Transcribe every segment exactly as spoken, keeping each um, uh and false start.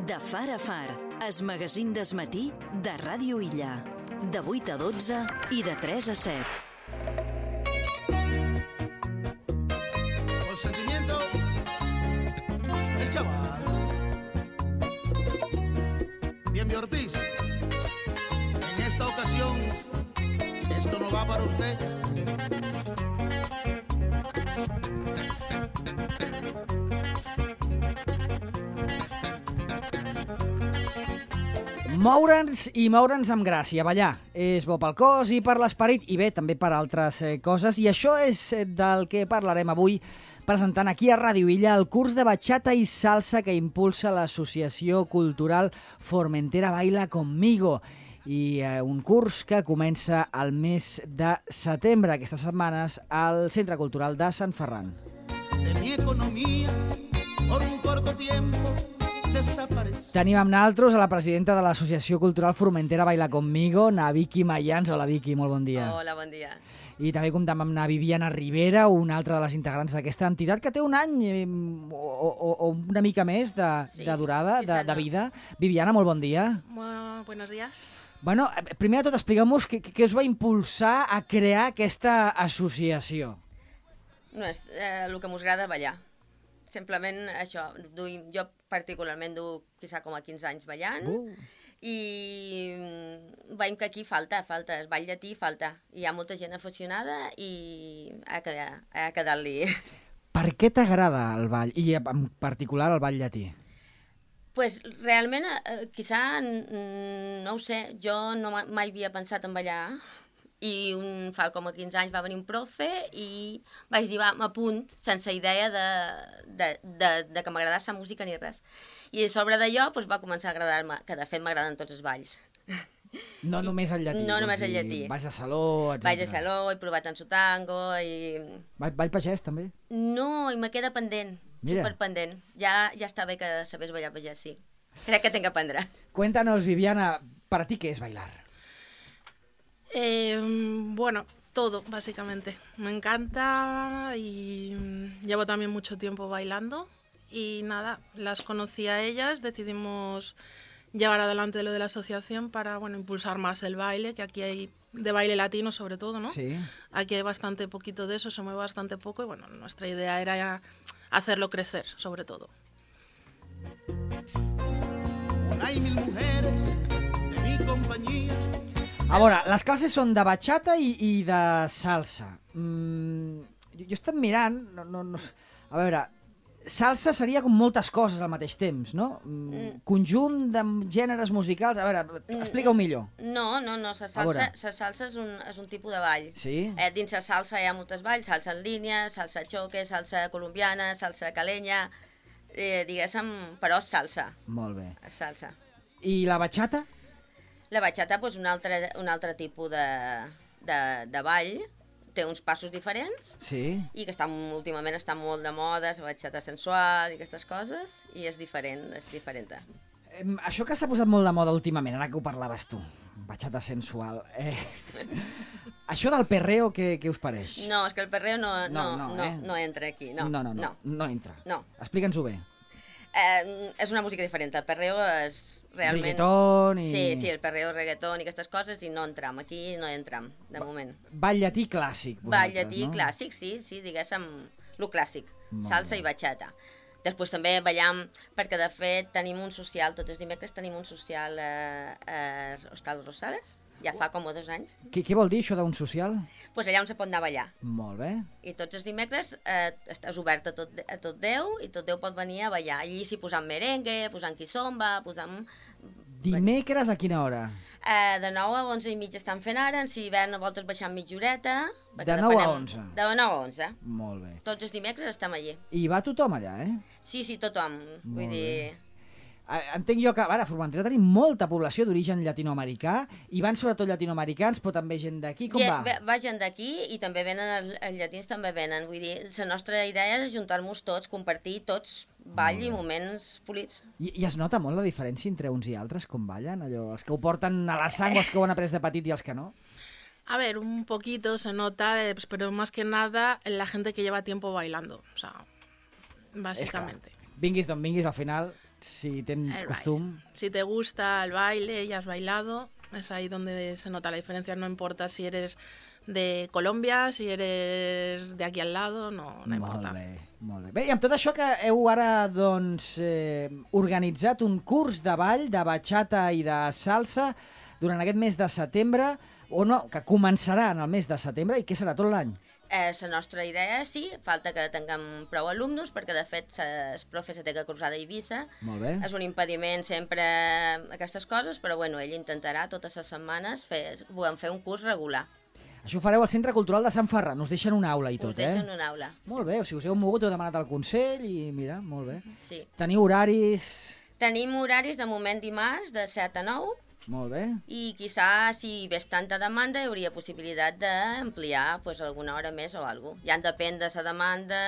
De far a far, es magazín d'esmatí de Ràdio Illa. De vuit a dotze i de tres a set. Con sentimiento, el chaval. Bien, Ortiz. En esta ocasión, esto no va para usted. Moure'ns i moure'ns amb gràcia, ballar. És bo pel cos i per l'esperit, i bé, també per altres eh, coses. I això és del que parlarem avui, presentant aquí a Ràdio Illa el curs de batxata i salsa que impulsa l'Associació Cultural Formentera Baila Conmigo. I eh, un curs que comença al mes de setembre, aquestes setmanes, al Centre Cultural de Sant Ferran. De mi economia, por un corto tiempo, tenim amb nosaltres a la presidenta de l'Associació Cultural Formentera Baila Conmigo, na Vicky Mayans. Hola, Vicky, molt bon dia. Hola, bon dia. I també comptem amb na Viviana Rivera, una altra de les integrants d'aquesta entitat que té un any eh, o, o, o una mica més de, sí, de durada, de, de vida. Viviana, molt bon dia. Bueno, buenos días. Bueno, primer de tot, expliqueu-nos què, què us va impulsar a crear aquesta associació. No, és eh, el que m'us agrada ballar. Simplement això, duim, jo particularment du quizà com a quinze anys ballant uh. i veiem que aquí falta, falta, el ball llatí falta. Hi ha molta gent aficionada i ha de, ha de quedar-li. Per què t'agrada el ball, i en particular el ball llatí? Pues realment, eh, quizà, no ho sé, jo no mai havia pensat en ballar, i un, fa com a quinze anys va venir un profe i vaig dir, va, m'apunt, sense idea de, de, de, de que m'agradés la música ni res. I a sobre d'allò doncs, va començar a agradar-me, que de fet m'agraden tots els balls. No I, només el llatí. No només el llatí. Balls de saló, etcètera. Balls de saló, he provat en su tango i... Ball, ball pagès, també? No, i me queda pendent, Mira. superpendent. Ja, ja està bé que sabés ballar pagès, sí. Crec que tinc que aprendre. Cuéntanos, Viviana, ¿para ti qué es bailar? Eh, bueno, todo, básicamente. Me encanta y llevo también mucho tiempo bailando y nada, las conocí a ellas, decidimos llevar adelante lo de la asociación para, bueno, impulsar más el baile, que aquí hay de baile latino sobre todo, ¿no? Sí. Aquí hay bastante poquito de eso, se mueve bastante poco y bueno, nuestra idea era hacerlo crecer, sobre todo. Hay mil mujeres de mi compañía. A veure, les classes són de batxata i, i de salsa. Mm, jo, jo he estat mirant, no, no, no, a veure, salsa seria com moltes coses al mateix temps, no? Mm, conjunt de gèneres musicals, a veure, explica-ho millor. No, no, no, la salsa, la salsa és, un, és un tipus de ball. Sí? Eh, dins la salsa hi ha moltes balls, salsa en línia, salsa choque, salsa colombiana, salsa calenya, eh, diguéssim, però és salsa. Molt bé. És salsa. I la batxata? La batxata, doncs, un altre, un altre tipus de, de, de ball, té uns passos diferents, sí. I que està, últimament està molt de moda, la batxata sensual i aquestes coses, i és diferent, és diferent. Eh, això que s'ha posat molt de moda últimament, ara que ho parlaves tu, batxata sensual, eh, això del perreo, què, què us pareix? No, és que el perreo no, no, no, no, no, eh? no entra aquí, no. No, no, no, no, no entra. No. Explica'ns-ho bé. Eh, és una música diferent, el perreo és realment... Reggaeton i... Sí, sí, el perreo, reggaeton i aquestes coses, i no entram, aquí no entram, de ba moment. Ball llatí clàssic, vosaltres, Ball llatí no? clàssic, sí, sí, diguéssim, lo clàssic, Molt salsa bé. i batxata. Després també ballam, perquè de fet tenim un social, tots els dimecres tenim un social a, a Hostal Rosales, ja fa com dos anys. Què, què vol dir això d'un social? Doncs pues allà on se pot anar a ballar. Molt bé. I tots els dimecres eh, és obert a tot, a tot Déu i tot Déu pot venir a ballar. Allí s'hi posant merengue, posant quizomba, posant... Dimecres a quina hora? Eh, de nou a onze i mitja estan fent ara, en si hivern a voltes baixant mitja horeta. De nou a onze? De nou a onze. Molt bé. Tots els dimecres estem allí. I va tothom allà, eh? Sí, sí, tothom. Molt Vull bé. dir... Entenc jo que, a veure, a Formentera tenim molta població d'origen llatinoamericà, i van sobretot llatinoamericans, però també gent d'aquí, com va? Va? Va gent d'aquí i també venen, els, els llatins també venen, vull dir, la nostra idea és ajuntar-nos tots, compartir tots ball i moments polits. I, I es nota molt la diferència entre uns i altres, com ballen? Allò, els que ho porten a la sang o els que ho han après de petit i els que no? A ver, un poquito se nota, eh, pero más que nada la gente que lleva tiempo bailando, o sea, básicamente. Vinguis d'on vinguis, al final... si tens El costum. baile. Si te gusta el baile y has bailado, es ahí donde se nota la diferencia. No importa si eres de Colòmbia, si eres de aquí al lado, no, no importa. Molt bé, molt bé. Bé, i amb tot això que heu ara doncs, eh, organitzat un curs de ball, de bachata i de salsa durant aquest mes de setembre, o no, que començarà en el mes de setembre i que serà tot l'any. Eh, la nostra idea sí, falta que tinguem prou alumnes, perquè de fet el profe se té que cursar d'Eivissa. Molt bé. És un impediment sempre aquestes coses, però bueno, ell intentarà totes les setmanes fer, volem fer un curs regular. Això ho fareu al Centre Cultural de Sant Ferran, us deixen una aula i tot, Us deixen eh? una aula. Molt bé, o sigui, us heu mogut, heu demanat al Consell i mira, molt bé. Sí. Teniu horaris... Tenim horaris de moment dimarts de set a nou Molt bé. i quizà si ves tanta demanda hi hauria possibilitat d'ampliar pues, alguna hora més o alguna cosa. Ja en depèn de la demanda,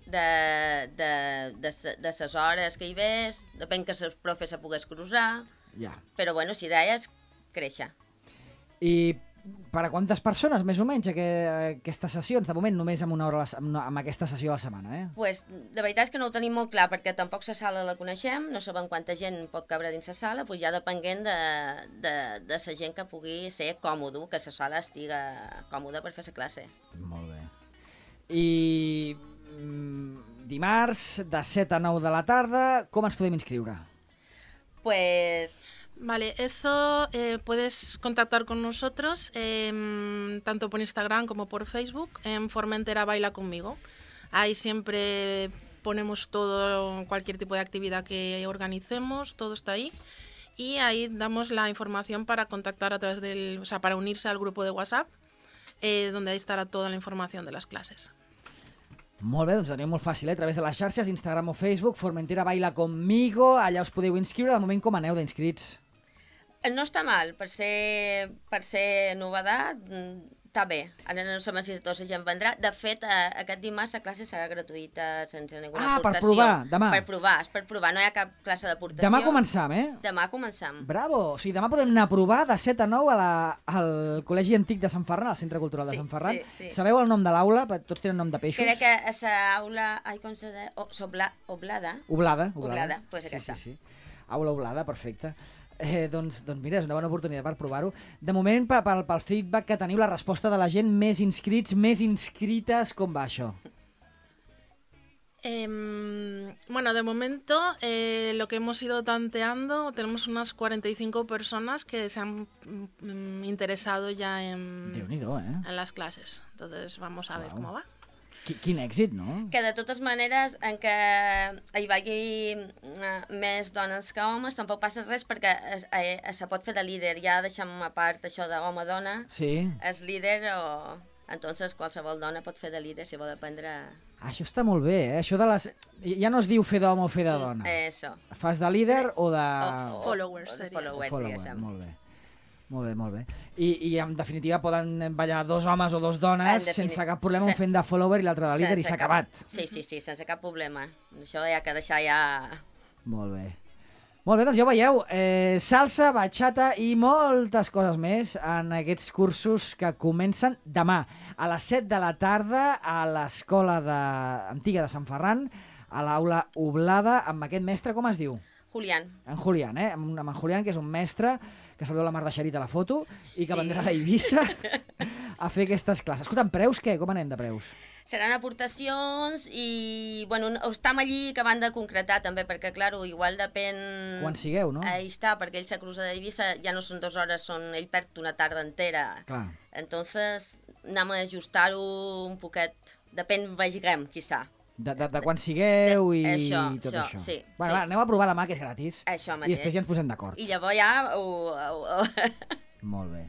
de, de, de, de les hores que hi ves, depèn que el profe se pogués cruzar, Ja. però bueno, si deies, créixer. I per a quantes persones, més o menys, aqu- aquestes sessions? De moment només amb una hora a la se- amb, amb aquesta sessió a la setmana, eh? Pues, de veritat és que no ho tenim molt clar, perquè tampoc la sala la coneixem, no sabem quanta gent pot cabre dins la sala, pues ja depenent de, de, de la gent que pugui ser còmode, que la sala estiga còmoda per fer la classe. Molt bé. I mm, dimarts, de set a nou de la tarda, com ens podem inscriure? Pues Vale, eso eh, puedes contactar con nosotros eh, tanto por Instagram como por Facebook en Formentera Baila Conmigo. Ahí siempre ponemos todo, cualquier tipo de actividad que organicemos, todo está ahí. Y ahí damos la información para contactar a través del, o sea, para unirse al grupo de WhatsApp, eh, donde ahí estará toda la información de las clases. Molt bé, doncs ho teniu molt fàcil, eh? A través de les xarxes, Instagram o Facebook, Formentera Baila Conmigo, allà us podeu inscriure. De moment, com aneu d'inscrits? no està mal, per ser, per ser novedat, està bé. Ara no sabem si tota la gent vendrà. De fet, eh, aquest dimarts la classe serà gratuïta sense ninguna Ah, per aportació. provar, demà. Per provar, és per provar, no hi ha cap classe d'aportació. Demà començam, eh? Demà començam. Bravo! O sigui, demà podem anar a provar de set a nou a la, al Col·legi Antic de Sant Ferran, al Centre Cultural de Sí, Sant Ferran. sí, sí. Sabeu el nom de l'aula? Tots tenen nom de peixos. Crec que a l'aula... Ai, com se deia? Oh, Oblada. Oblada. Oblada, Oblada, pues aquesta. Sí, sí, sí. Aula Oblada, perfecte. Eh, doncs, doncs mira, és una bona oportunitat per provar-ho. De moment, pel, pel, pel feedback que teniu, la resposta de la gent, més inscrits, més inscrites, com va això? Eh, bueno, de momento eh, lo que hemos ido tanteando, tenemos unas cuarenta y cinco personas que se han mm, interesado ya en, Déu-n'hi-do, eh? en las clases. Entonces vamos a ver Wow. cómo va. Qui- Quin èxit, no? Que de totes maneres, en què hi vagi eh, més dones que homes, tampoc passa res perquè es, eh, se pot fer de líder. Ja deixem a part això d'home-dona. Sí. És líder o... Entonces qualsevol dona pot fer de líder si vol aprendre... Ah, això està molt bé, eh? Això de les... Ja no es diu fer d'home o fer de dona. Eh, això. Fas de líder o de... O, o, Followers, o de seria. followers, follower, diguéssim. molt bé. Molt bé, molt bé. I, I en definitiva poden ballar dos homes o dos dones En defini- sense cap problema, un Se- fent de follower i l'altre de líder i Sense s'ha cap- acabat. Sí, sí, sí, sense cap problema. Això hi ha que deixar ja... Molt bé. Molt bé, doncs ja ho veieu, eh, salsa, bachata i moltes coses més en aquests cursos que comencen demà a les set de la tarda a l'escola de... antiga de Sant Ferran, a l'aula Oblada, amb aquest mestre, com es diu? Julián. En Julián, eh? Amb, amb en Julián, que és un mestre que salveu la Mar de Xerit a la foto i que Sí. vendrà a Eivissa a fer aquestes classes. Escolta, en preus què? Com anem de preus? Seran aportacions i, bueno, no- estem allí acabant de concretar també, perquè, clar, igual depèn... Quan sigueu, no? Ahí està, perquè ell se cruza d'Eivissa, ja no són dues hores, són... ell perd una tarda entera. Clar. Entonces, anem a ajustar-ho un poquet, depèn, vegem, quizà. De, de, de quan sigueu i De- això, tot això, això. sí, Bueno, sí. va, aneu a provar demà, que és gratis. Això I mateix. després ja ens posem d'acord. I llavors ja... Ho, ho, ho... Molt bé.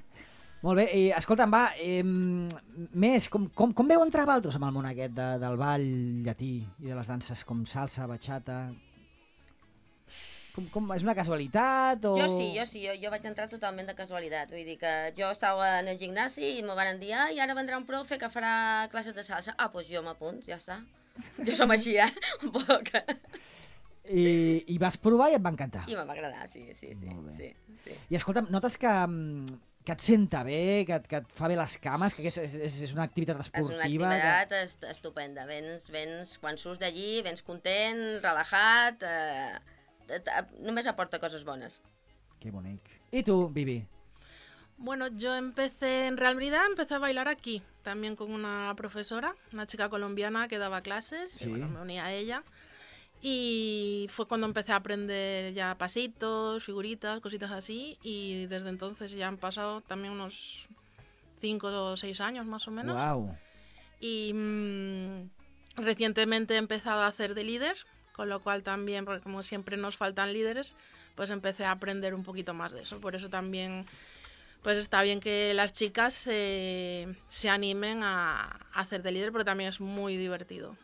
Molt bé, i escolta'm, va, eh, més, com, com, com veu entrar vosaltres amb el món aquest de, del ball llatí i de les danses com salsa, bachata? Com, com, és una casualitat o...? Jo sí, jo sí, jo, jo vaig entrar totalment de casualitat, vull dir que jo estava en el gimnasi i me van dir, ah, i ara vendrà un profe que farà classes de salsa. Ah, doncs jo m'apunt, ja està. Jo som així, eh? Un poc. I, I vas provar i et va encantar. I me va agradar, sí, sí, sí. Molt bé. sí, sí. I escolta'm, notes que mm, que et senta bé, que et, que et fa bé les cames, que és, és, és una activitat esportiva. És una activitat que... est estupenda. Vens, vens, quan surts d'allí, vens content, relajat, eh, només aporta coses bones. Que bonic. I tu, Vivi? Bueno, yo empecé, en realidad empecé a bailar aquí, también con una profesora, una chica colombiana que daba clases, sí. Y bueno, me uní a ella. Y fue cuando empecé a aprender ya pasitos, figuritas, cositas así, y desde entonces ya han pasado también unos cinco o seis años más o menos. Wow. Y mmm, recientemente he empezado a hacer de líder, con lo cual también, porque como siempre nos faltan líderes, pues empecé a aprender un poquito más de eso. Por eso también... pues está bien que las chicas se, se animen a, a hacer de líder, pero también es muy divertido.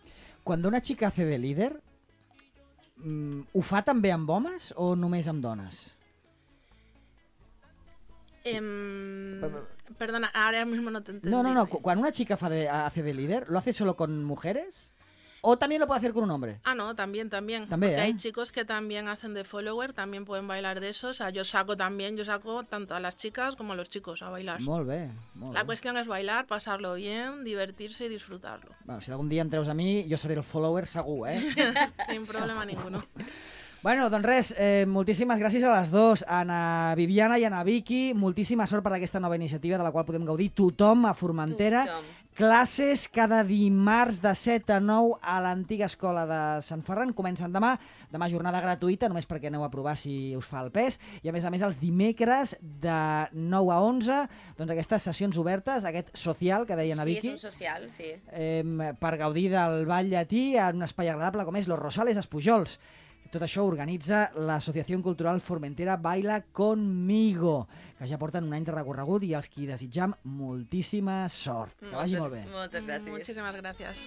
Cuando una chica hace de líder, mm, ho fa també amb homes o només amb dones? Eh, perdona, ahora mismo no te entendí. No, no, no. Cuando una chica fa de, hace de líder, ¿lo hace solo con mujeres? ¿O también lo puede hacer con un hombre? Ah, no, también, también. También, Porque ¿eh? hay chicos que también hacen de follower, también pueden bailar de eso. O sea, yo saco también, yo saco tanto a las chicas como a los chicos a bailar. Molt bé, molt La bé. cuestión es bailar, pasarlo bien, divertirse y disfrutarlo. Bueno, si algun dia em treus a mi, jo seré el follower segur, eh? Sin problema ninguno. Bueno, doncs res, eh, moltíssimes gràcies a les dues, a Ana Viviana i a Ana Vicky, moltíssima sort per aquesta nova iniciativa de la qual podem gaudir tothom a Formentera. Tothom. Classes cada dimarts de set a nou a l'antiga escola de Sant Ferran. Comencen demà, demà jornada gratuïta, només perquè aneu a provar si us fa el pes. I a més a més els dimecres de nou a onze, doncs aquestes sessions obertes, aquest social que deia Ana Vicky. Sí, és un social, sí. Eh, per gaudir del ball llatí en un espai agradable com és Los Rosales, Espujols. Tot això organitza l'Associació Cultural Formentera Baila Conmigo, que ja porten un any de recorregut i els qui desitjam moltíssima sort. Que vagi molt bé. Moltes gràcies. Muchísimas gracias.